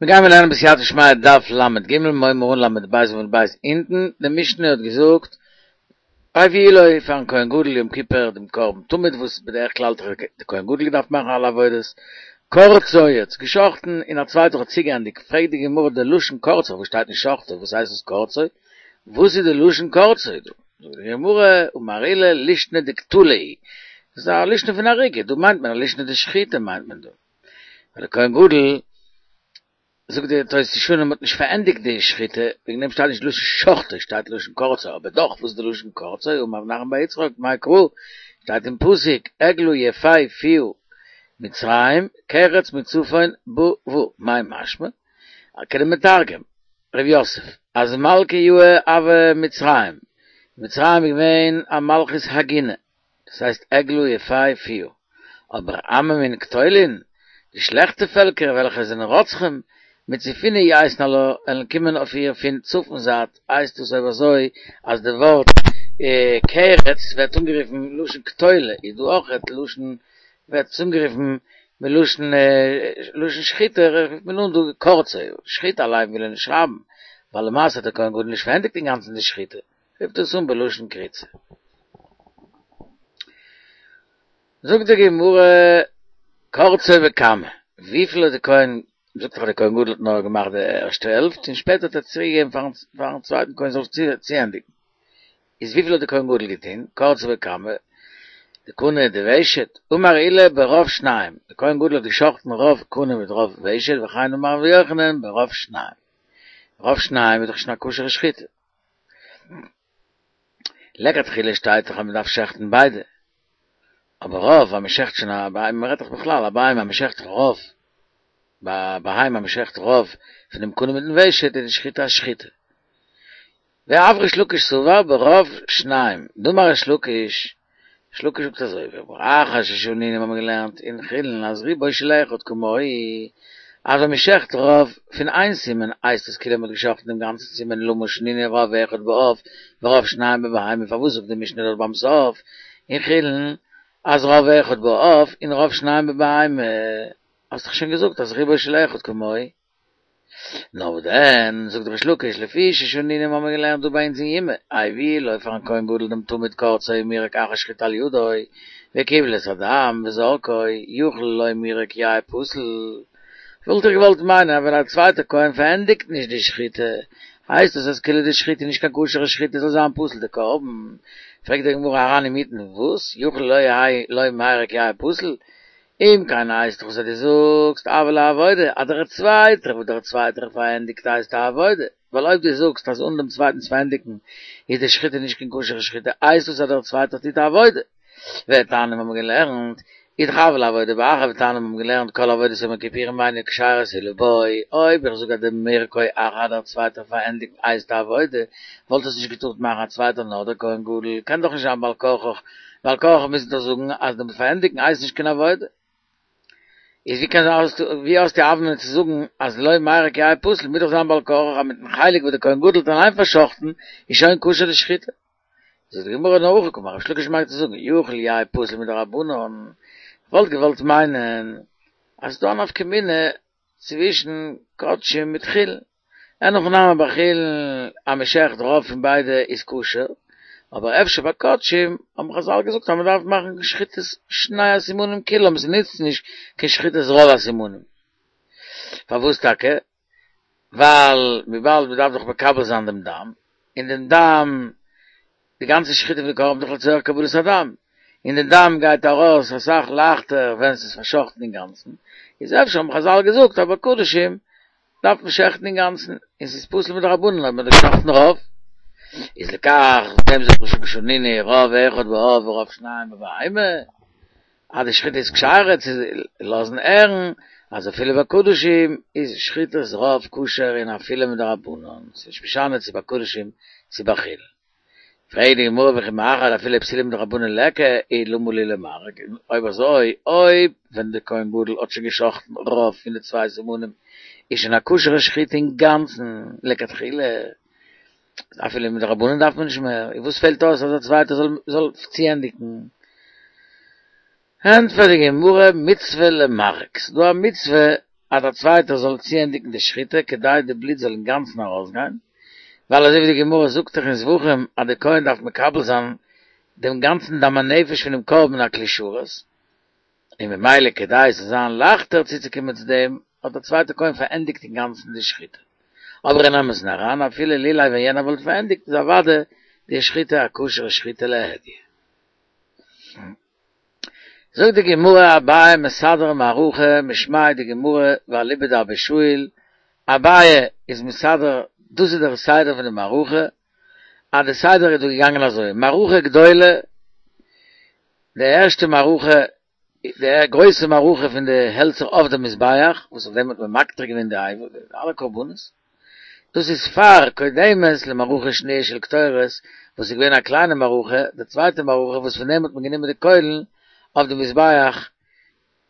מיר גיימער לערנען בסייעתא דשמיא דף ל"ג, מ'הייבן אן ל"ב עמוד ב' אונטן, די משנה האט געזאגט הביאו לו פארן כהן גדול יום כיפור דעם קרבן תמיד וואס בדרך כלל האט דער כהן גדול געדארפט מאכן אלע עבודות, קרצו האט עס געשחטן און א צווייטער האט צוגעענדיגט, פרעגט די גמרא די לשון קרצו וואס שטייט נישט שחטו וואס הייסט עס קרצו? וואס איז די לשון קרצו דא? זאגט די גמרא אמר עולא לישנא דקטלא היא, דאס איז א לישנא פון הריגה, דא מיינט מען א לישנא דשחיטה מיינט מען דא. ווייל דער כהן גדול, זאגט די תוס' ישנים האט נישט פארענדיגט די שחיטה, וועגן דעם שטייט נישט לשון שחטו, שטייט לשון קרצו, אבער דאך וואס איז די לשון קרצו, אמר רב נחמן בר יצחק, מאי קרא, שטייט אין פסוק, עגלה יפה פיה מצרים, קרץ מצפון באה, מאי משמע? כדמתרגם ר' יוסף, אז מלכא יהיר הוה מצרים, מצרים איז געווען א מלכות הגונה, דאס הייסט עגלה יפה פיה, אבער עממין קטולין, די שלעכטע פעלקער וועלכע זענען רוצחים, מצפונא ייתון עלה, וועלן קומען אויף איר פון צפון זייט, הייסט דאס אויב אזוי אז די ווארט קרץ ווערט אנגערופן לשון קטלא, איז דא אויכעט לשון ווערט עס אנגערופן מלשון לשון שחיטה רופט מען אן דא קרצו, שחיטה אליין וויל ער נישט שרייבן, ווייל למעשה האט דער כהן גדול נישט פארענדיגט אינגאנצן די שחיטה. רופט עס אן בלשון קריצה. זאגט די גמרא, קרצו בכמה, וויפיל האט די כהן, זאגט דאך אז די כהן גדול האט נאר געמאכט די ערשטע העלפט און שפעטער האט ער צוריק געגעבן פארן צווייטן כהן זאל צוענדיגן, איז וויפיל האט די כהן גדול געטון, קרצו בכמה, דקנה דוושת, אמר עולא ברוב שניים, די כהן גדול האט געשחטן רוב קנה מיט רוב ושט, וכן אמר רבי יוחנן ברוב שניים, רוב שניים איז דאך שוין א כשר'ע שחיטה. לכתחילה שטייט דאך אז מען דארף שעכטן ביידע, אבער רוב אז מען שעכט שוין א בהמה, מען רעדט דאך בכלל א בהמה אז מען שעכט רוב, ביי א בהמה אז מען שעכט רוב פון דעם קנה מיטן ושט איז די שחיטה א שחיטה. ואף ריש לקיש סבר ברוב שניים, דאמר ריש לקיש, ריש לקיש זאגט אזוי, ואחר ששנינו האבן מיר געלערנט אין חולין אז רובו של אחד כמוהו, אז ווען מען שעכט רוב פון איין סימן הייסט עס כאילו מען האט געשאכטן דעם גאנצן סימן למה שנינו רוב אחד בעוף ורוב שניים בבהמה פארוואס זאגט די משנה דארט ביים סוף אין חולין אז רוב אחד בעוף און רוב שניים בבהמה האסט דאך שוין געזאגט אז רובו של אחד כמוהו. נאר וואס דען, זאגט ריש לקיש, לפי ששנינו האבן מיר געלערנט דא ביי אונז אין יומא, הביאו לו פארן כהן גדול דעם תמיד קרצו ומירק אחר שחיטה על ידו, וקיבל את הדם וזרקו, יכול לא מירק יהא פסול. וואלט איך געוואלט מיינען אז ווען א צווייטער כהן פארענדיגט נישט די שחיטה, הייסט עס אז כאילו די שחיטה איז נישט קיין כשר'ע שחיטה זאל זיין פסול די קרבן. פרעגט די גמרא אריין אינמיטן, וואס? יכול לא יהא לא מירק יהא פסול? אם כן הייסט דאך וואס דו זאגסט הויא לה עבודה אז דער צווייטער וואס דער צווייטער פארענדיגט הייסט א עבודה, ווייל אויב דו זאגסט אז אן דעם צווייטנס פארענדיגן איז די שחיטה נישט קיין כשר'ע שחיטה הייסט דאס אז דער צווייטער טוט א עבודה. ותניא האבן מיר געלערנט, איז דאך הויא לה עבודה באחר ותניא האבן מיר געלערנט כל עבודת יום הכיפורים אינה כשרה אלא בו, אויב איך זאג אז די מירקו אחר דער צווייטער פארענדיגן הייסט א עבודה וואלט עס נישט געטארט מאכן א צווייטער נאר דער כהן גדול קען דאך נישט זיין בעל כרחך בעל כרחך מוז דאך זאגן אז דעם פארענדיגן הייסט נישט קיין עבודה. איז ווי קען זיין ווי האסטו א הוה אמינא צו זאגן אז לא מירק יהא פסול מוז דאך זיין בעל כרחך אז מיטן חלק וואס דער כהן גדול האט אליין פאר'שחט'ן איז שוין כשר די שחיטה. זאגט די גמרא נאר הכי קאמר ריש לקיש מיינט צו זאגן יכול יהא פסול מדרבנן כ'וואלט געוואלט מיינען אז ס'דא א נפקא מינה צווישן קדשים מיט חולין. אין הכי נמי ביי חולין אז מען שעכט רוב פון ביידע איז כשר, אבער אפשר ביי קדשים האבן חזל געזאגט אז מען דארף מאכן שחיטת שני הסימנים כולם, ס'נוצט נישט קיין שחיטת רוב הסימנים. פארוואס טאקע? ווייל וויבאלד מען דארף דאך מקבל זיין דעם דם, און דעם דם, די גאנצע שחיטה פון די קרבן איז דאך לצורך קבלת הדם, און די דם גייט ארויס אסאך לייכטער ווען ס'איז פאר'שחט'ן אינגאנצן, איז אפשר האבן חזל געזאגט אז ביי קדשים דארף מען שעכטן אינגאנצן, און ס'איז פסול מדרבנן אויב מ'האט געשחט'ן רוב, איז לכך דעם זאגט ריש לקיש שנינו רוב אחד בעוף ורוב שניים בבהמה. אז די שחיטה איז כשרה צו לאזן הערן אז אפילו ביי קדשים איז שחיטת רוב כשר און אפילו מדרבנן, ס'איז נישט משנה צו ביי קדשים צו ביי חולין. פרעגט די גמרא וכי מאחר דאפילו פסולה מדרבנן ליכא איז למה לי למרק, אויב אזוי אויב ווען די כהן גדול האט שוין געשחטן רוב פון די צוויי סימנים איז שוין א כשר'ע שחיטה אינגאנצן לכתחילה, אפילו מדרבנן דארף מען נישט מער, און וואס פעלט אויס אז א צווייטער זאל זאל צוענדיגן? ענטפערט די גמרא, מצוה למרק, ס'איז דא א מצוה אז דער צווייטער זאל צוענדיגן די שחיטה כדי די בלוט זאל אינגאנצן ארויסגיין, ווייל אזוי ווי די גמרא זאגט דאך אין זבחים אז די כהן דארף מקבל זיין דעם גאנצן דם הנפש פונעם קרבן אין א כלי שרת, און ממילא כדי עס זאל זיין לייכטער צוצוקומען צו דעם האט דער צווייטער כהן פארענדיגט אינגאנצן די שחיטה. אבער אין אמת'ן אריין אפילו לולא ווען יענער וואלט פארענדיגט איז אוודאי די שחיטה א כשר'ע שחיטה להדיא. זאגט די גמרא אביי מסדר מערכה משמיה דגמרא ואליבא דאבא שאול, אביי איז מסדר דאס איז דער סדר פון די מערכה, אז די סדר איז דא געגאנגען אזוי, מערכה גדולה, די ערשטע מערכה, די גרויסע מערכה פון די העלצער אויף די מזבח, וואס אויף דעם האט מען מקטיר געווען די אלע קרבנות, דאס איז פאר קודמת למערכה שניה של קטורת, וואס איז געווען א קליינע מערכה, די צווייטע מערכה וואס פון דעם האט מען גענומען די קוילן אויף די מזבח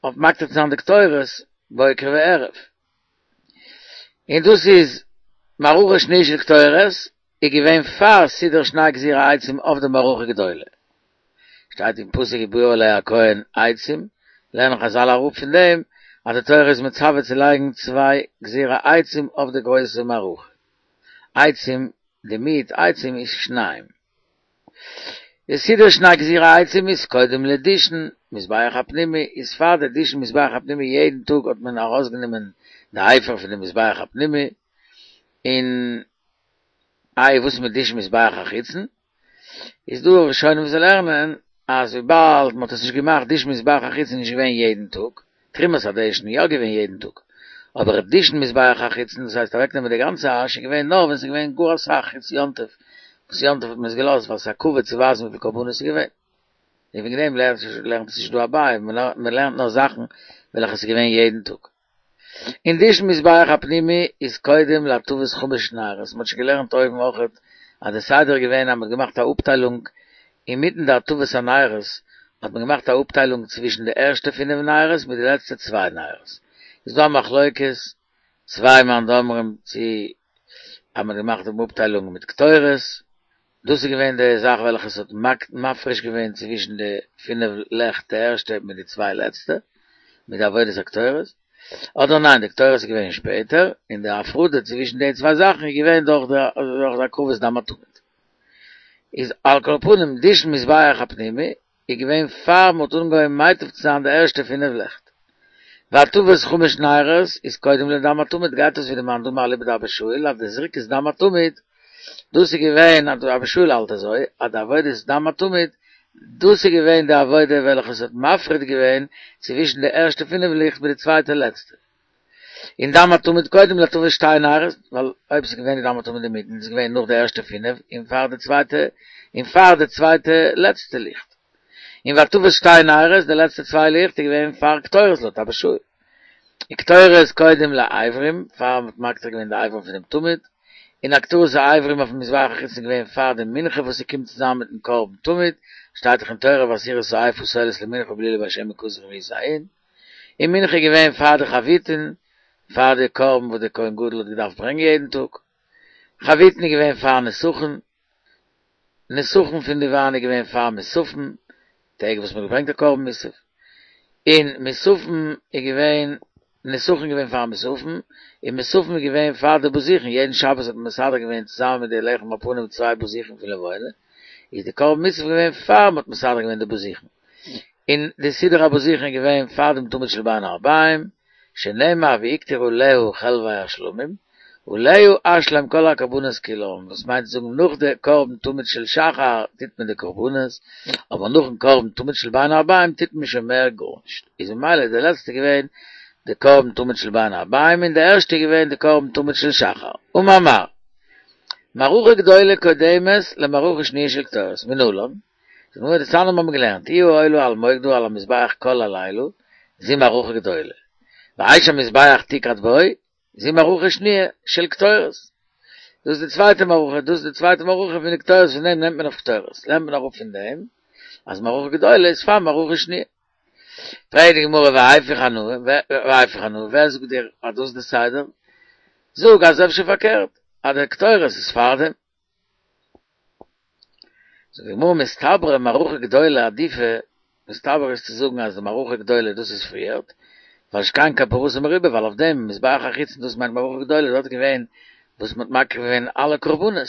אויף מקטיר צו זיין די קטורת בוקר וערב. און דאס איז מערכה שניה של קטורת איז געווען פאר סידר שני גזירי עצים אויף די מערכה גדולה. שטייט אין פסוק ובאו אלי הכהן עצים, לערנען חזל אראפ פון דעם אז די תורה איז מצווה צו לייגן צוויי גזירי עצים אויף די גרויסע מערכה. עצים, די מיעוט עצים איז שניים. די סידור שני גזירי עצים איז קודם לדישן מזבח הפנימי, איז פאר די דישן מזבח הפנימי יעדן טאג האט מען ארויסגענומען די אפר פון די מזבח הפנימי, און איי וואס מיט דישן מזבח החיצון? איז דא ראשונים וואס לערנען אז וויבאלד מען האט עס נישט געמאכט דישן מזבח החיצון איז נישט געווען יעדן טאג, תרומת הדשן איז יא געווען יעדן טאג, אבער דישן מזבח החיצון דאס הייסט אוועקנעמען די גאנצע אש איז געווען נאר ווען ס'איז געווען גאר אסאך חוץ יום טוב, וואס יום טוב האט מען עס געלאזט ווייל ס'איז א כבוד צו ווייזן וויפיל קרבנות ס'איז געווען. און וועגן דעם לערנט עס נישט דא אביי, מען לערנט נאר זאכן וועלכע ס'איז געווען יעדן טאג. און דישן מזבח הפנימי איז קודם להטבת חמש נרות, מ'האט שוין געלערנט אויבן אויכעט אז די סדר איז געווען אז מ'האט געמאכט א אפטיילונג אינמיטן די הטבת הנרות האט מען געמאכט א אפטיילונג צווישן די ערשטע פינף נרות מיט די לעצטע צוויי נרות, איז דא א מחלוקת צוויי מאן דאמרים צו אז מ'האט געמאכט דעם אפטיילונג מיט קטורת, דאס איז געווען די זאך וועלכע עס האט מפריש געווען צווישן די פינף לעכט די ערשטע מיט די צוויי לעצטע, מיט די עבודת הקטורת, אדער ניין די קטורת איז געווען שפעטער, און די הפרדה צווישן די צוויי זאכן איז געווען דורך די הקרבת דם התמיד. איז על כל פנים דישן מזבח הפנימי איז געווען פאר מ'האט אנגעהויבן מטיב צו זיין די ערשטע פינף לעכט. והטבת חמש נרות איז קודם לדם התמיד גייט אויס ווי די מאן דאמר אליבא דאבא שאול אז די זריקת דם התמיד דאס איז געווען אז אבא שאול האלט אזוי אז די עבודת דם התמיד דאס איז געווען די עבודה וועלכע עס האט מפריד געווען צווישן די ערשטע פינף ליכט מיט די צווייטע לעצטע. און דם התמיד קודם להטבת שתי נרות, ווייל אויב ס'איז געווען די דם התמיד אינמיטן איז געווען נאך די ערשטע פינף און פאר די צווייטע און פאר די צווייטע לעצטע ליכט. און והטבת שתי נרות די לעצטע צוויי ליכט איז געווען פאר קטורת לויט אבא שאול. און קטורת קודם לאיברים, פאר מ'האט מקטיר געווען די איברים פונעם תמיד, און הקטרת האיברים אויפן מזבח החיצון איז געווען פאר די מנחה וואס ס'קומט צוזאמען מיטן קרבן תמיד, שטייט דאך אין תורה ועשירית האיפה סולת למנחה בלולי בשמן כסף ומעשה ההין. און מנחה איז געווען פאר די חביתין, פאר די קרבן וואס די כהן גדול האט געדארפט ברענגען יעדן טאג, חביתין איז געווען פאר נסכים, נסכים פון די וויין איז געווען פאר מוספים, טעג וואס מען האט געברענגט די קרבן מוסף, און מוספים איז געווען, נסכים איז געווען פאר מוספים, און מוספים איז געווען פאר די בזיכין, יעדן שבת האט מען מסדר געווען צוזאמען מיט די לחם הפנים צוויי בזיכין פון לבונה, איז די קרבן מוסף געווען פאר מען האט מסדר געווען די בזיכין. און די סידור הבזיכין איז געווען פאר דעם תמיד של בין הערביים, שנאמר והקטירו עליה חלבי השלמים, עליה אשלים כל הקרבנות כולם, וואס מיינט צו זאגן נאך די קרבן תמיד של שחר טוט מען די קרבנות, אבער נאכן קרבן תמיד של בין הערביים טוט מען שוין מער גארנישט, איז ממילא איז די לעצטע געווען די קרבן תמיד של בין הערביים און די ערשטע איז געווען די קרבן תמיד של שחר, אמר מר. מערכה גדולה קודמת למערכה שניה של קטורת, מנלן? זאגט די גמרא דתניא האבן געלערנט היא העולה על מוקדה על המזבח כל הלילה זו מערכה גדולה ואש המזבח תוקד בו זו מערכה שניה של קטורת דאס איז די צווייטע מערכה דאס איז די צווייטע מערכה פון די קטורת פון דעם נעמט מען אויף קטורת לערנט מען אראפ פון דעם אז מערכה גדולה איז פאר מערכה שניה פרעגט די גמרא והיפוך אנא והיפוך אנא ווער זאגט דיר אז דאס איז די סדר זאג אז אפשר פארקערט אז די קטורת איז פאר דעם זאגט די גמרא מסתברא מערכה גדולה עדיפא, מסתבר איז צו זאגן אז די מערכה גדולה דאס איז פריערט, ווייל שכן כפרתו מרובה, ווייל אויף דעם מזבח החיצון דאס מיינט מערכה גדולה דארט איז געווען וואס מ'האט מקריב געווען אלע קרבנות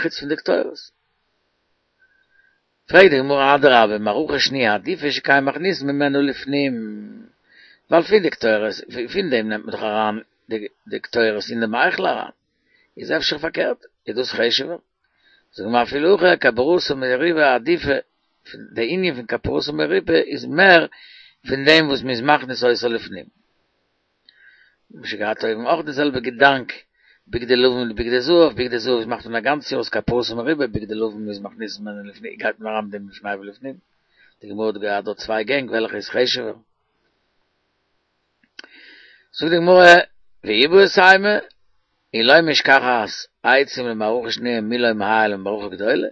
חוץ פון די קטורת. פרעגט די גמרא אדרבה מערכה שניה עדיפא שכן מכניסין ממנה לפנים, ווייל פון די קטורת פון דעם נעמט מען דאך אריין די קטורת אין דעם היכל אריין, איז אפשר פארקערט איז דאס חשוב'ער? זאגט די גמרא אפילו הכי כפרתו מרובה עדיפא, די ענין פון כפרתו מרובה איז מער פון דעם וואס מ'איז מכניס אותה לפנים. מ'האט שוין געהאט אויבן אויך די זעלבע געדאנק, בגדי לבן מיט בגדי זהב, בגדי זהב איז מאכט מען א גאנץ יאר איז כפרתו מרובה, בגדי לבן איז מכניס ממנה לפנים, גייט מען אריין מיט דעם לפני ולפנים. די גמרא האט געהאט דארט צוויי גענג וועלכע איז חשוב'ער. זאגט די גמרא, ואיבעית אימא, אי לא משכחת עצים למערכה שניה מי לא מעייל למערכה גדולה,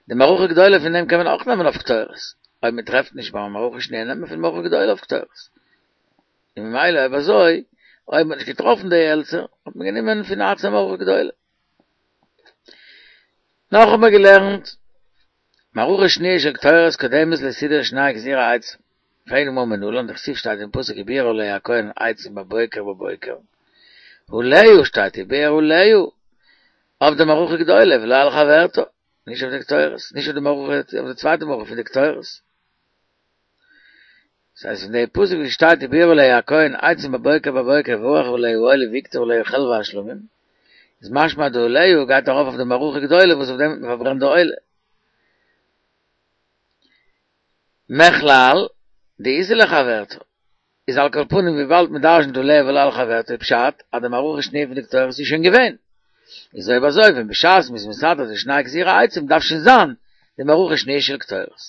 די מערכה גדולה פון דעם קען מען אויך נעמען אויף קטורת, אויב מען טרעפט נישט ביי מערכה שניה נעמט מען פון מערכה גדולה אויף קטורת, און ממילא אויב אזוי, אויב מען האט נישט געטראפן די העלצער, האט מען גענומען פון עצי מערכה גדולה. נאך האט מען געלערנט, מערכה שניה של קטורת קודמת לסידור שני גזירי עצים. פרעגט די גמרא מנלן דכתיב שטייט אין פסוק ובער עליה הכהן עצים בבוקר בבוקר עליה שטייט ובער עליה אויף די מערכה גדולה ולא על חברתה נישט אויף די קטורת נישט אויף די מערכה אויף די צווייטע מערכה פון די קטורת ס'הייסט פון די פסוק ווי שטייט ובער עליה הכהן עצים בבוקר בבוקר וערך עליה העולה והקטיר עליה חלבי השלמים איז משמע די עליה גייט ארויף אויף די מערכה גדולה וואס אויף דעם האט מען פארברענט די עולה. מכלל דאיתא לחברתה, איז על כל פנים וויבאלד מען דרשנ'ט עליה ולא על חברתה איז פשט אז די מערכה שניה פון די קטורת איז שוין געווען, איז אויב אזוי ווען בשעת מ'איז מסדר די שני גזירי עצים דארף שוין זיין די מערכה שניה של קטורת.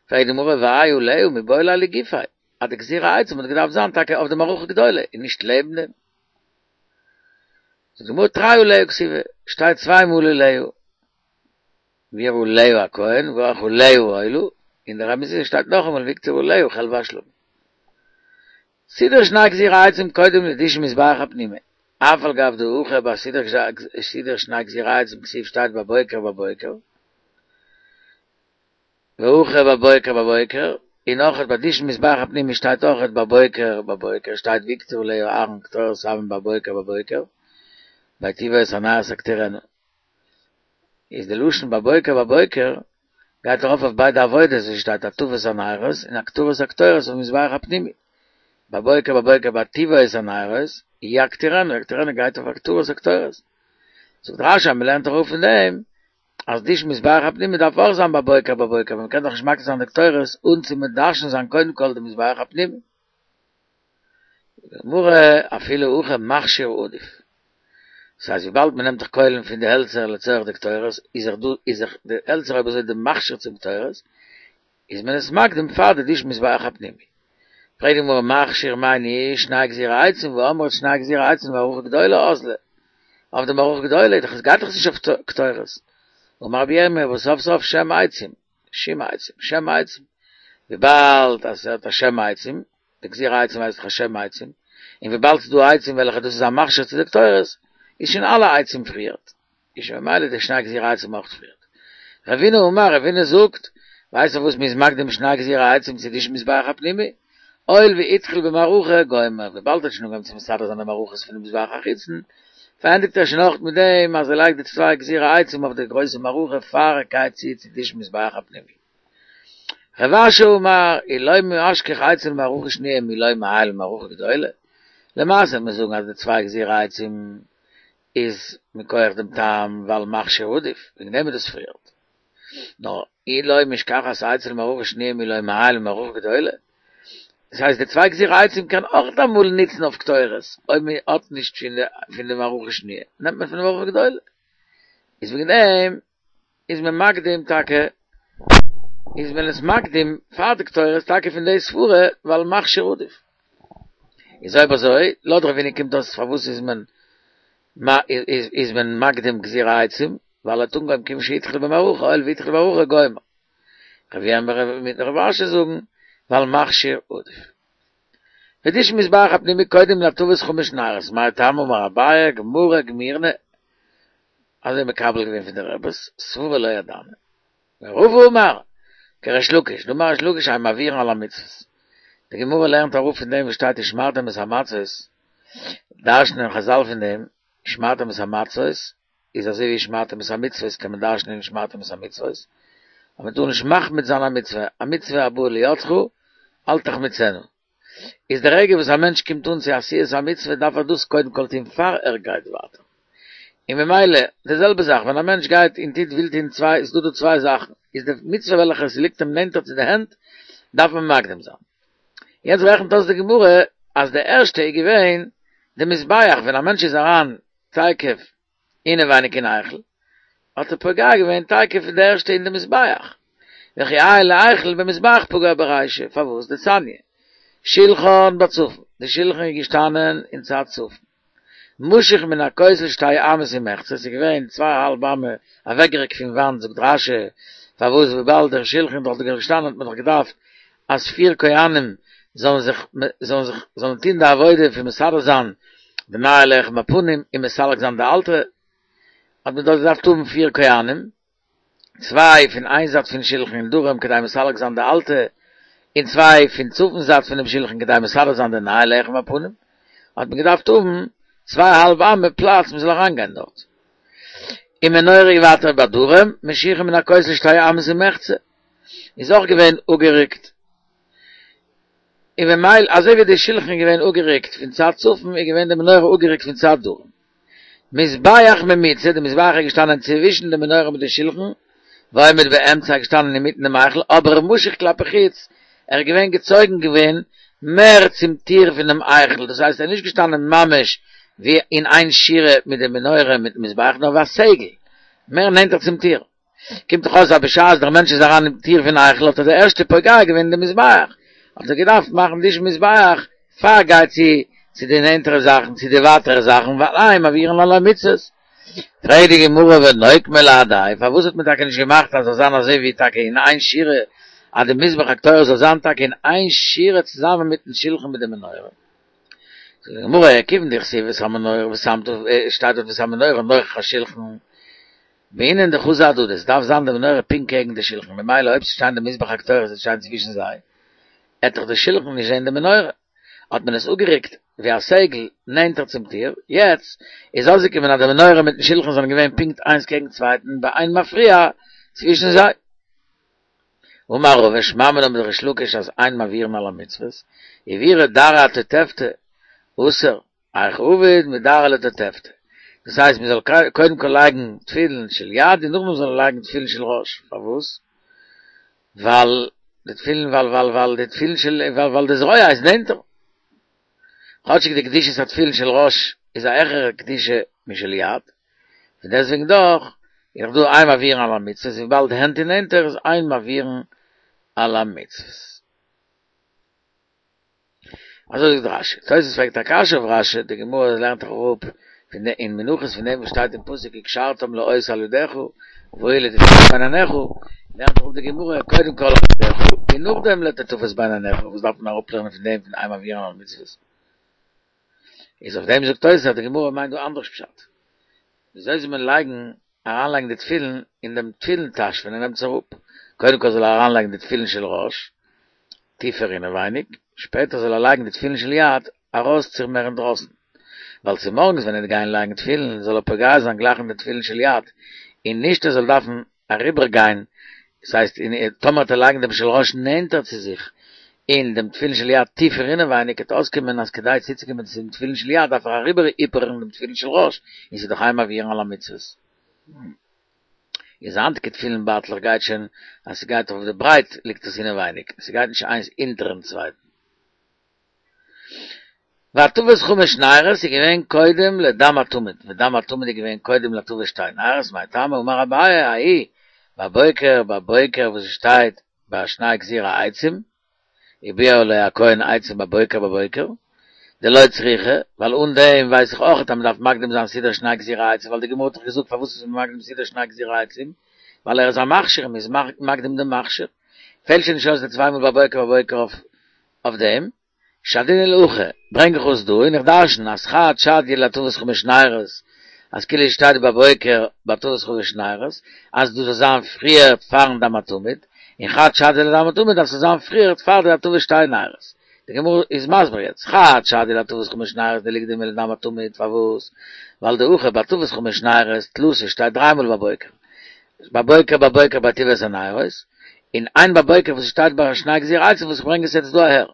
פרעגט די גמרא והאי עליה מיבעי ליה לגופיה, אז די גזירי עצים האט געדארפט זיין טאקע אויף די מערכה גדולה און נישט לעבן דעם. זאגט די גמרא תרי עליה כתיבי, שטייט צוויי מאל עליה. ובער עליה הכהן וערך עליה העולה, אין דער רבי זיע שטייט נאכאמאל והקטיר עליה חלבי השלמים. סידור שני גזירי עצים קודם לדישון מזבח הפנימי, אף על גב דהכא ביי סידור שני גזירי עצים כתיב שטייט בבוקר בבוקר, והכא בבוקר בבוקר, און אויכעט ביי דישון מזבח הפנימי שטייט אויכעט בבוקר בבוקר שטייט והקטיר עליה אהרן קטורת סמים בבוקר בבוקר, בהיטיבו את הנרות יקטירנה. איז די לשון בבוקר בבוקר גייט ארויף אויף ביידע עבודות ווי שטייט הטבת הנרות און הקטרת הקטורת אויף מזבח הפנימי בבוקר בבוקר בהיטיבו את הנרות יקטירנה יקטירנה גייט אויף הקטרת הקטורת זאגט רשי אז מ'לערנט אראפ פון דעם אז דישון מזבח הפנימי דארף אויך זיין בבוקר בבוקר ווייל מ'קען דאך נישט מקטיר זיין די קטורת אן צו מדשן זיין קודם כל די מזבח הפנימי. גמרא אפילו הכי מכשיר עדיף. דאס הייסט וויבאלד מען נעמט דאך קוילן פון די העלצער לצורך די קטורת, איז דאך דא איז דאך די העלצער אויב אזוי די מכשיר צום קטורת, איז מען עס מקדים פאר די דישון מזבח הפנימי. פרעגט די גמרא מכשיר מאי ניהו שני גזירי עצים והאמרת שני גזירי עצים למערכה גדולה אזלא. אויף די מערכה גדולה איז דאך עס גייט דאך נישט אויף קטורת. אמר רבי ירמיה וסוף סוף שם עצים. שם עצים, שם עצים. וויבאלד אז ס'האט א שם עצים, די גזירי עצים הייסט דאך א שם עצים, און וויבאלד ס'איז דא עצים וועלכע דאס איז א מכשיר צו די קטורת, איז שוין אלע עצים פריערט, איז שוין ממילא די שני גזירי עצים אויך פריערט. רבינא אמר, רבינא זאגט, ווייסט אויף וואס מ'איז מקדים שני גזירי עצים צו דישון מזבח הפנימי? הואיל והתחיל במערכה גומר, וויבאלד ער האט שוין אנגעהויבן צו מסדר זיין די מערכות פונעם מזבח החיצון, פארענדיגט ער שוין אויך מיט דעם אז ער לייגט די צוויי גזירי עצים אויף די גרויסע מערכה פאר ער גייט צו צו דישון מזבח הפנימי. רב אשי אמר, אי לא משכח עצים למערכה שניה מי לא מעייל למערכה גדולה. למעשה מיר זאגן אז די צוויי גזירי עצים איז מכח דעם טעם ווייל מכשיר עדיף, וועגן דעם איז דאס פריערט. נאר אי לא משכחת עצים למערכה שניה מי לא מעייל למערכה גדולה. דאס הייסט די צוויי גזירי עצים קען אויך אמאל נוצן אויף קטורת, אויב מען האט נישט פון די מערכה שניה, נעמט מען פון די מערכה גדולה. איז וועגן דעם איז מען מקדים טאקע, איז מען עס מקדים פאר די קטורת טאקע פון די סברה ווייל מכשיר עדיף. איז אויב אזוי, לויט רבינא קומט אויס פארוואס איז מען איז מען מקדים גזירי עצים, ווייל ער האט אנגעהויבן כיוון שהתחיל במערכה, הואיל והתחיל במערכה גומר. רב ירמיה מיט רב אשי זאגן, ווייל מכשיר עדיף. ודישון מזבח הפנימי קודם להטבת חמש נרות, מאי טעמא אמר אביי, גמרא גמירנא, אזוי מקבל געווען פון די רביס, סברא לא ידענא. ורבא אמר, כריש לקיש, דאמר ריש לקיש אין מעבירין על המצוות. די גמרא לערנט אראפ פון דעם וואס שטייט ושמרתם את המצות, דרש'נען חזל פון דעם, ושמרתם את המצות איז אזוי ווי ושמרתם את המצוות קען מען דרש'נען ושמרתם את המצוות, אז מען טאר נישט מחמיץ זיין א מצוה, א מצוה הבאה לידך אל תחמיצנה. איז די רגע וואס א מענטש קומט אן צו עשיית המצוה דארף ער דאס קודם כל טון פאר ער גייט ווייטער. און ממילא די זעלבע זאך ווען א מענטש גייט און טוט וויל טון צוויי איז דא דא צוויי זאכן איז די מצוה וועלכע עס ליגט אים נענטער צו די הענט דארף מען מקדים זיין. יעצט רעכנט אויס די גמרא אז די ערשטע איז געווען די מזבח ווען א מענטש איז אריין תיכף אינעווייניג אין היכל, האט ער פוגע געווען תיכף די ערשטע אין די מזבח, וכי עייל להיכל במזבח פגע ברישא, פארוואס? דתניא, שלחן בצפון, די שלחן איז געשטאנען אין צד צפון, משוך מן הכותל שתי אמות ומחצה, ס'איז געווען צוויי א האלב אמה אוועקגערוקט פון וואנט, זאגט רש"י, פארוואס וויבאלד דער שלחן איז דאך געשטאנען האט מען דאך געדארפט אז פיר כהנים זאלן זיך זאלן זיך זאלן טון די עבודה פון מסדר זיין די נייע לחם הפנים און מסלק זיין די אלטע, האט מען דארט געדארפט האבן פיר כהנים, צוויי פון איין זייט פון שלחן אין דרום כדי מסלק זיין די אלטע, און צוויי פון צפון זייט פונעם שלחן כדי מסדר זיין די נייע לחם הפנים, האט מען געדארפט האבן צוויי א האלב אמה פלאץ מען זאל אריינגיין דארט. און מנורה ווייטער בדרום, משוכה מן הכותל שתי אמות ומחצה. איז אויך געווען אפגערוקט, און ממילא אזוי ווי די שלחן איז געווען אפגערוקט פון צד צפון איז געווען די מנורה אפגערוקט פון צד דרום. מזבח ממוצע, די מזבח איז געשטאנען צווישן די מנורה מיט די שלחן, ועומד באמצע איז געשטאנען אינמיטן דעם היכל, אבער משוך כלפי חוץ, ער איז געווען געצויגן געווען מער צום טיר פונעם היכל, דאס הייסט ער איז נישט געשטאנען ממש ווי אין איין שורה מיט די מנורה מיטן מזבח, נאר ווי א סגול, מער נענטער צום טיר. קומט דאך אויס אז בשעת דער מענטש איז אריין אין טיר פון היכל האט ער די ערשטע פוגע געווען אין די מזבח, האט ער געדארפט מאכן דישון מזבח פאר ער גייט צו צו די נענטערע זאכן צו די ווייטערע זאכן ווייל אין מעבירין על המצוות. פרעגט די גמרא ונוקמה להדיה, פארוואס האט מען טאקע נישט געמאכט אז זאל זיין אזוי ווי טאקע אין איין שורה אז די מזבח הקטורת זאל זיין טאקע אין איין שורה צוזאמען מיטן שלחן מיט די מנורה? זאגט די גמרא כיוון דכתיב את המנורה ושמת שטייט דארט ואת המנורה נוכח השלחן בעינן דחזו אהדדי, עס דארף זיין די מנורה פונקט קעגן די שלחן, ממילא אויב ס'שטיין די מזבח הקטורת וועט שטיין צווישן זיי, עט דאך די שלחן נישט זען די מנורה, האט מען עס אפגערוקט ווי א סגול נענטער צום טיר, יעצט איז אויסגעקומען אז די מנורה מיטן שלחן זענען געווען פונקט איינס קעגן צווייטן באין מפריע צווישן זיי. אמר רבא שמע מינה מדריש לקיש אז אין מעבירין על המצוות, עבירה דרעא אתותבתא, אסור. היכי עביד מדרעא לתותבתא. דאס הייסט מען זאל קודם כל לייגן תפילין של יד און נאכדעם זאל מען לייגן תפילין של ראש, פארוואס? ווייל די תפילין ווייל ווייל ווייל די תפילין של ווייל ווייל די זרוע איז נענטער. כאטשיג די קדושת התפילין של ראש איז א העכערע קדושה משל יד, פון דעסטוועגן דאך איז דאך דא אין מעבירין על המצוות וויבאלד די הענט איז נענטער איז אין מעבירין על המצוות. אזוי זאגט רשי. תוס' פרעגט א קשיא אויף רשי, די גמרא לערנט דאך אראפ פון די אין מנחות פון דעם וואס שטייט אין פסוק וקשרתם לאות על ידך והיו לטוטפות בין עיניך, לערנט אראפ די גמרא קודם כל על ידך און נאכדעם לטוטפות בין עיניך, וואס דארף מען אראפלערנען פון דעם פון אין מעבירין על המצוות? איז אויף דעם זאגט תוס' אז די גמרא מיינט דא אנדערש פשט. וויאזוי זאל מען לייגן אריינלייגן די תפילין אין דעם תפילין טאש ווען ער נעמט עס אראפ, קודם כל זאל ער אריינלייגן די תפילין של ראש טיפער אינעווייניג, שפעטער זאל ער לייגן די תפילין של יד ארויסציר מער אינדרויסן, ווייל צומארגנס ווען ער וועט גיין לייגן תפילין זאל ער פוגע זיין גלייך אין די תפילין של יד, און נישט ער זאל דארפן אריבער גיין, דאס הייסט טאמער וועט ער לייגן דעם של ראש נענטער צו זיך, און דעם תפילין של יד טיפער אינעווייניג, וועט אויסקומען אז כדי צוצוקומען צום תפילין של יד דארף ער אריבער היפערן דעם תפילין של ראש, און ס'איז דאך אין מעבירין על המצוות. איז היינטיגע תפילין בייטלעך גייט שוין אז ס'גייט אויף די ברייט ליגט עס אינעווייניג, ס'גייט נישט איינס אונטערן צווייטן. והטבת חמש נרות איז געווען קודם לדם התמיד, ודם התמיד איז געווען קודם להטבת שתי נרות, מאי טעמא אמר אביי ההוא בבוקר בבוקר וואס עס שטייט ביי שני גזירי עצים, וביער לו הכהן עצים בבוקר בבוקר, דלא צריכא, ווייל אן דעם ווייס איך אויך אז מען דארף מקדים זיין סידור שני גזירי עצים, ווייל די גמרא האט דאך געזאגט פארוואס איז מען מקדים סידור שני גזירי עצים, ווייל ער איז א מכשיר און מען איז מקדים דעם מכשיר, פעלט שוין נישט אויס די צוויי מאל בבוקר בבוקר אויף אויף דעם, שדינן להכא, ברענג איך אויס דא און איך דרשן אז חד שדיא להטבת חמש נרות, אז כאילו שטייט בבוקר בהטבת חמש נרות, אז דאס זאל זיין פריער פארן דם התמיד, און חד שדיא לדם התמיד אז ס'זאל זיין פריער פאר די הטבת שתי נרות. די גמרא איז מסביר יעצט, חד שדיא להטבת חמש נרות דליקדמיה לדם התמיד, פארוואס? ווייל דהכא בהטבת חמש נרות תלתא שטייט דריי מאל בבוקר, בבוקר בבוקר בהיטיבו את הנרות, און איין בבוקר וואס שטייט ביי שני גזירי עצים וואס איך ברענג עס יעצט דא אהער.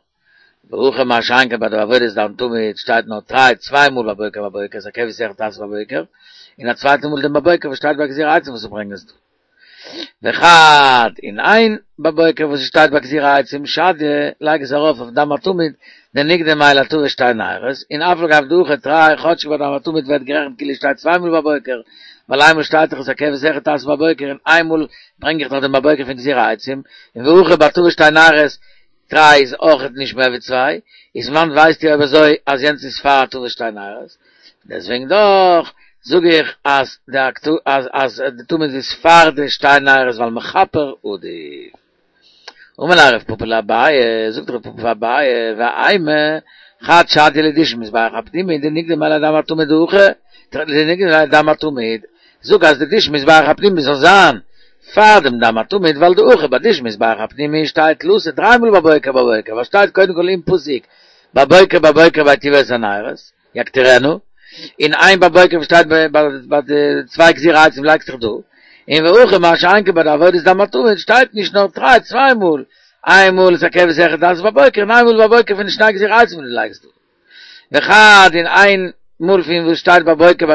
והכא מה שאין כן ביי די עבודת דם תמיד שטייט נאר דריי צוויי מאל בבוקר בבוקר את הכבש אחד תעשה בבוקר, און א צווייטע מאל דעם בבוקר וואס שטייט ביי גזירי עצים וואס איך ברענג עס דא. וחד און איין בבוקר וואס שטייט ביי גזירי עצים שדיא לייג עס ארויף אויף דם התמיד דנקדמיה להטבת שתי נרות און אף על גב דהכא תרי כאטשיג ביי דם התמיד ווערט גערעכנט כאילו שטייט צוויי מאל בבוקר ווייל איינמאל שטייט דאך את הכבש אחד תעשה בבוקר און איינמאל ברענג איך דאך דעם בבוקר פון גזירי עצים און והכא בהטבת שתי נרות תרי איז אויכעט נישט מער ווי צוויי איז וואנעט ווייסטו אויב אזוי אז יענץ איז פאר הטבת שתי נרות דעסוועגן דאך זאג איך אז די אז אז די תמיד איז פאר די שתי נרות ווייל מכפר עדיף. אמר ליה רב פפא לאביי, זאגט רב פפא פאר אביי, ואימא חד שדיא לדישון מזבח הפנימי דנקדמיה לדם התמיד דהכא דנקדמיה לדם התמיד, זאג אז די דישון מזבח הפנימי זאל זיין פאר דעם דם התמיד ווייל דהכא ביי דישון מזבח הפנימי שטייט תלתא דריי מאל בבוקר בבוקר ווייל שטייט קודם כל אין פסוק בבוקר בבוקר בהיטיבו את הנרות. יקטירנו, און איין בבוקר וואס שטייט ביי די צוויי גזירי עצים לייגט זיך דא, און והכא מה שאין כן ביי די עבודת דם התמיד שטייט נישט נאר דריי צוויי מאל, איין מאל את הכבש אחד תעשה בבוקר און איין מאל בבוקר פון די שני גזירי עצים וואס דו לייגסט דא. וחד און איין מאל פון וואס שטייט בבוקר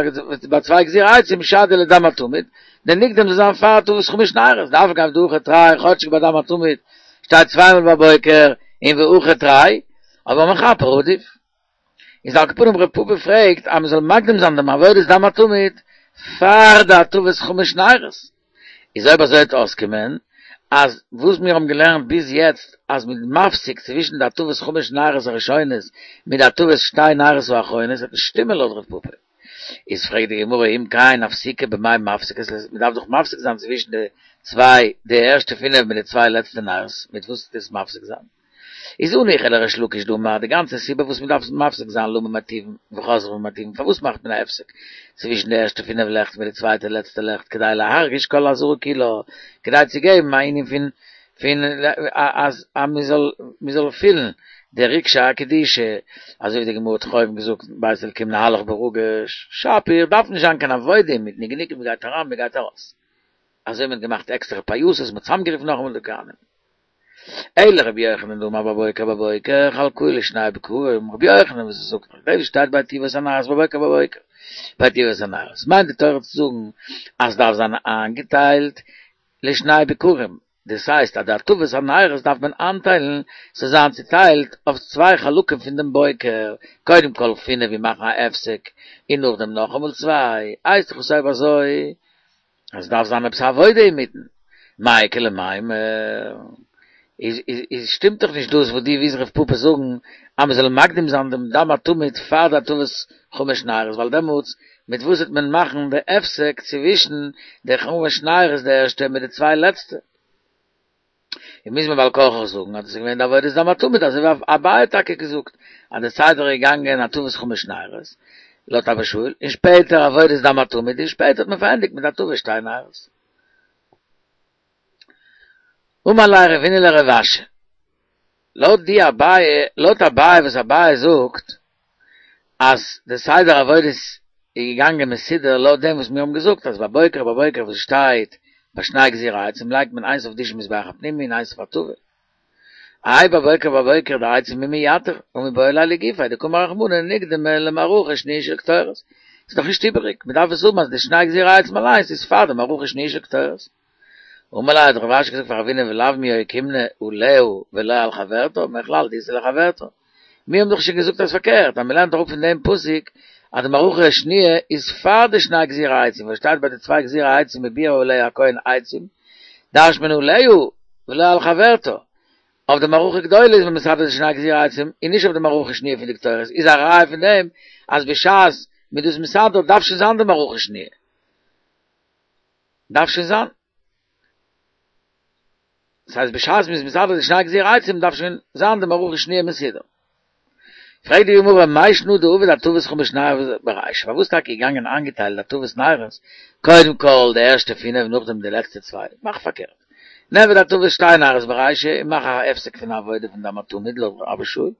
ביי צוויי גזירי עצים שדיא לדם התמיד, דנקדם זאל זיין פאר הטבת חמש נרות, דאף על גב דהכא תרי כאטשיג ביי דם התמיד שטייט צוויי מאל בבוקר און והכא תרי, אבער מכפר עדיף. איז על כל פנים רב פפא פרעגט אז מ'זאל מקדים זיין דעם עבודת דם התמיד פאר די הטבת חמש נרות, איז אויב אזוי וועט אויסקומען אז וואס מיר האבן געלערנט ביז יעצט אז מ'איז מפסיק צווישן די הטבת חמש נרות הראשונות מיט די הטבת שתי נרות האחרונות וועט נישט שטימען לויט רב פפא. איז פרעגט די גמרא אם כן הפסוקי במאי מפסקת מ'דארף דאך מפסיק זיין צווישן די צוויי די ערשטע פינף מיט די צוויי לעצטע נרות מיט וואס טוט עס מפסיק זיין? איז הניחא לריש לקיש דאמר די גאנצע סיבה וואס מ'דארף מפסיק זיין למה מטיבין וחוזרין ומטיבין פארוואס מאכט מען א הפסק צווישן די ערשטע פינף לעכט מיט די צווייטע לעצטע לעכט כדי להרגיש כל העזרה כולה כדי צו געבן א ענין פון פון אז מ'זאל מ'זאל פילן די רגשי הקדושה אזוי ווי די גמרא האט אויבן געזאגט בית אלקים נהלך ברגש שפיר דארף נישט זיין קיין עבודה אינמיטן גענוג מ'גייט אריין מ'גייט ארויס אזוי מ'האט געמאכט עקסטערע פייסות מ'האט צוזאמגערופן נאכאמאל די כהנים. אלא רבי יוחנן דאמר בבוקר בבוקר חלקוהו לשני בקרים, רבי יוחנן וואס ער זאגט נאך דעם וואס שטייט בהיטיבו את הנרות בבוקר בבוקר, בהיטיבו את הנרות מיינט די תורה צו זאגן אז ס'דארף זיין איינגעטיילט לשני בקרים, דאס הייסט אז די הטבת הנרות דארף מען איינטיילן ס'זאל זיין צוטיילט אויף צוויי חלקים פון דעם בוקר, קודם כל פינף און מאכן א הפסק און נאכדעם נאכאמאל צוויי, הייסט דאך עס אויב אזוי אז דארף זיין עפעס א עבודה אינמיטן, מאי איכא למימר, איז איז שטימט דאך נישט דאס וואס דו ווילסט רב פפא זאגן אז מען זאל מקדים זיין דעם דם התמיד פאר די הטבת חמש נרות ווייל דעמאלטס מיט וואס וועט מען מאכן די הפסק צווישן די חמש נרות די ערשטע מיט די צוויי לעצטע? און מוז מען בעל כרחך זאגן אז דאס איז געווען די עבודת דם התמיד אזוי ווי אביי האט טאקע געזאגט אז די סדר איז געגאנגען הטבת חמש נרות לויט אבא שאול און שפעטער עבודת דם התמיד און שפעטער האט מען פארענדיגט מיט הטבת שתי נרות. אמר ליה רבינא לרב אשי, לויט די אביי, לויט אביי וואס אביי זאגט אז די סדר עבודות איז געגאנגען מסודר לויט דעם וואס מיר האבן געזאגט אז בבוקר בבוקר וואס שטייט ביי שני גזירי עצים לייגט מען איינס אויף דישון מזבח הפנימי און איינס אויף הטבה. האי בבוקר בבוקר דעצים מי מייתר הא מיבעי ליה לגופיה דקאמר רחמנא נקדמה למערכה שניה של קטורת. ס'איז דאך נישט איבעריג, מ'דארף עס האבן אז די שני גזירי עצים אליינס איז פאר די מערכה שניה של קטורת. אמר ליה האט רב אשי געזאגט פאר רבינא ולאו מיהא אוקימנא עליה ולא על חברתה, מכלל דאיתא לחברתה. מיר האבן דאך שוין געזאגט אז פארקערט, אז מ'לערנט אראפ פון דעם פסוק אז די מערכה שניה איז פאר די שני גזירי עצים, וואס שטייט ביי די צוויי גזירי עצים וביער עליה הכהן עצים, דרש'נט מען עליה ולא על חברתה. אויף די מערכה גדולה איז מען מסדר די שני גזירי עצים און נישט אויף די מערכה שניה פון די קטורת, איז א ראיה פון דעם אז בשעת מ'איז דאס מסדר דארף שוין זיין די מערכה שניה. דארף שוין זיין. דאס הייסט בשעת מ'איז מסדר די שני גזירי עצים דארף שוין זיין די מערכה שניה מסודר. פרעגט די גמרא מאי שנא דעביד הטבת חמש נרות ברישא, פארוואס טאקע געגאנגען איינגעטיילט הטבת נרות, קודם כל די ערשטע פינף נאכדעם די לעצטע צוויי, מאך פארקערט. נעבעך הטבת שתי נרות ברישא און מאך א הפסק פון עבודה פון דם התמיד לויט רבי שאול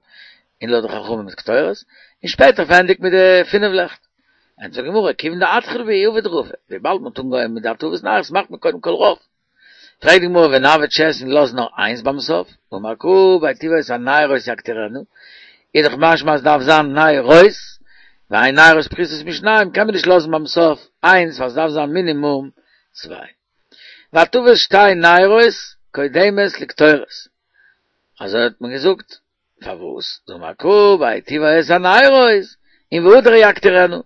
און לויט די חכמים מיט קטורת, און שפעטער פארענדיג מיט די פינף לעכט. ענטפערט די גמרא, כיוון דאתחיל בהו עביד רבא, וויבאלד מ'האט אנגעהויבן מיט די הטבת נרות מאכט מען קודם כל רוב. פרעגט די גמרא ונעביד שש און לאז נאר איינס ביים סוף, אמר קרא בהיטיבו את הנרות יקטירנה, איז דאך משמע אז דארף זיין נרות, ואין נרות פחותות משניים קען מען נישט לאזן ביים סוף איינס ווייל ס'דארף זיין מינימום צוויי. והטבת שתי נרות קודמת לקטורת, אזוי האט מען געזאגט, פארוואס? דאמר קרא בהיטיבו את הנרות און והדר יקטירנה,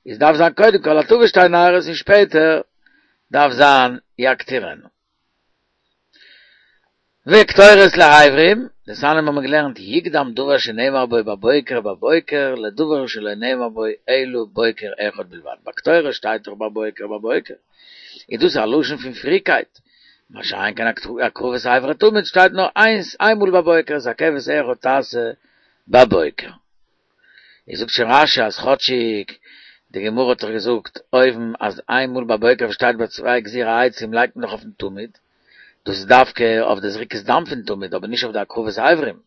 איז דארף זיין קודם כל הטבת שתי נרות און שפעטער דארף זיין יקטירנה. וקטורת לאיברים, דתניא האבן מיר געלערנט יקדם דבר שנאמר בו בבוקר בבוקר לדבר שלא נאמר בו אלא בוקר אחד בלבד, ביי קטורת שטייט דאך בבוקר בבוקר, איז דאס א לשון פון פריקייט, מה שאין כן הקרבת אבר התמיד שטייט נאר איינס איינמאל בבוקר את הכבש אחד תעשה בבוקר. איז זאגט שוין רש"י אז כאטשיג די גמרא האט דאך געזאגט אויבן אז איינמאל בבוקר וואס שטייט ביי צוויי גזירי עצים לייגט מען דאך אויפן תמיד, דאס איז דווקא אויף די זריקת דם פון תמיד אבער נישט אויף די הקרבת אברים,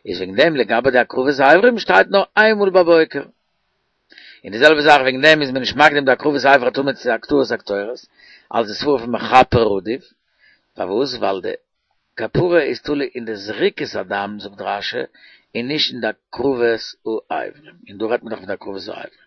איז וועגן דעם לגבי די הקרבת אברים שטייט נאר איינמאל בבוקר. און די זעלבע זאך וועגן דעם איז מען נישט מקדים די הקרבת אבר התמיד צו הקטרת הקטורת, אלס די סברא פון מכפר עדיף, פארוואס? ווייל די כפרה איז תלוי אין די זריקת הדם זאגט רש"י, און נישט אין די הקרבת האברים, און דא רעדט מען דאך פון די הקרבת האברים.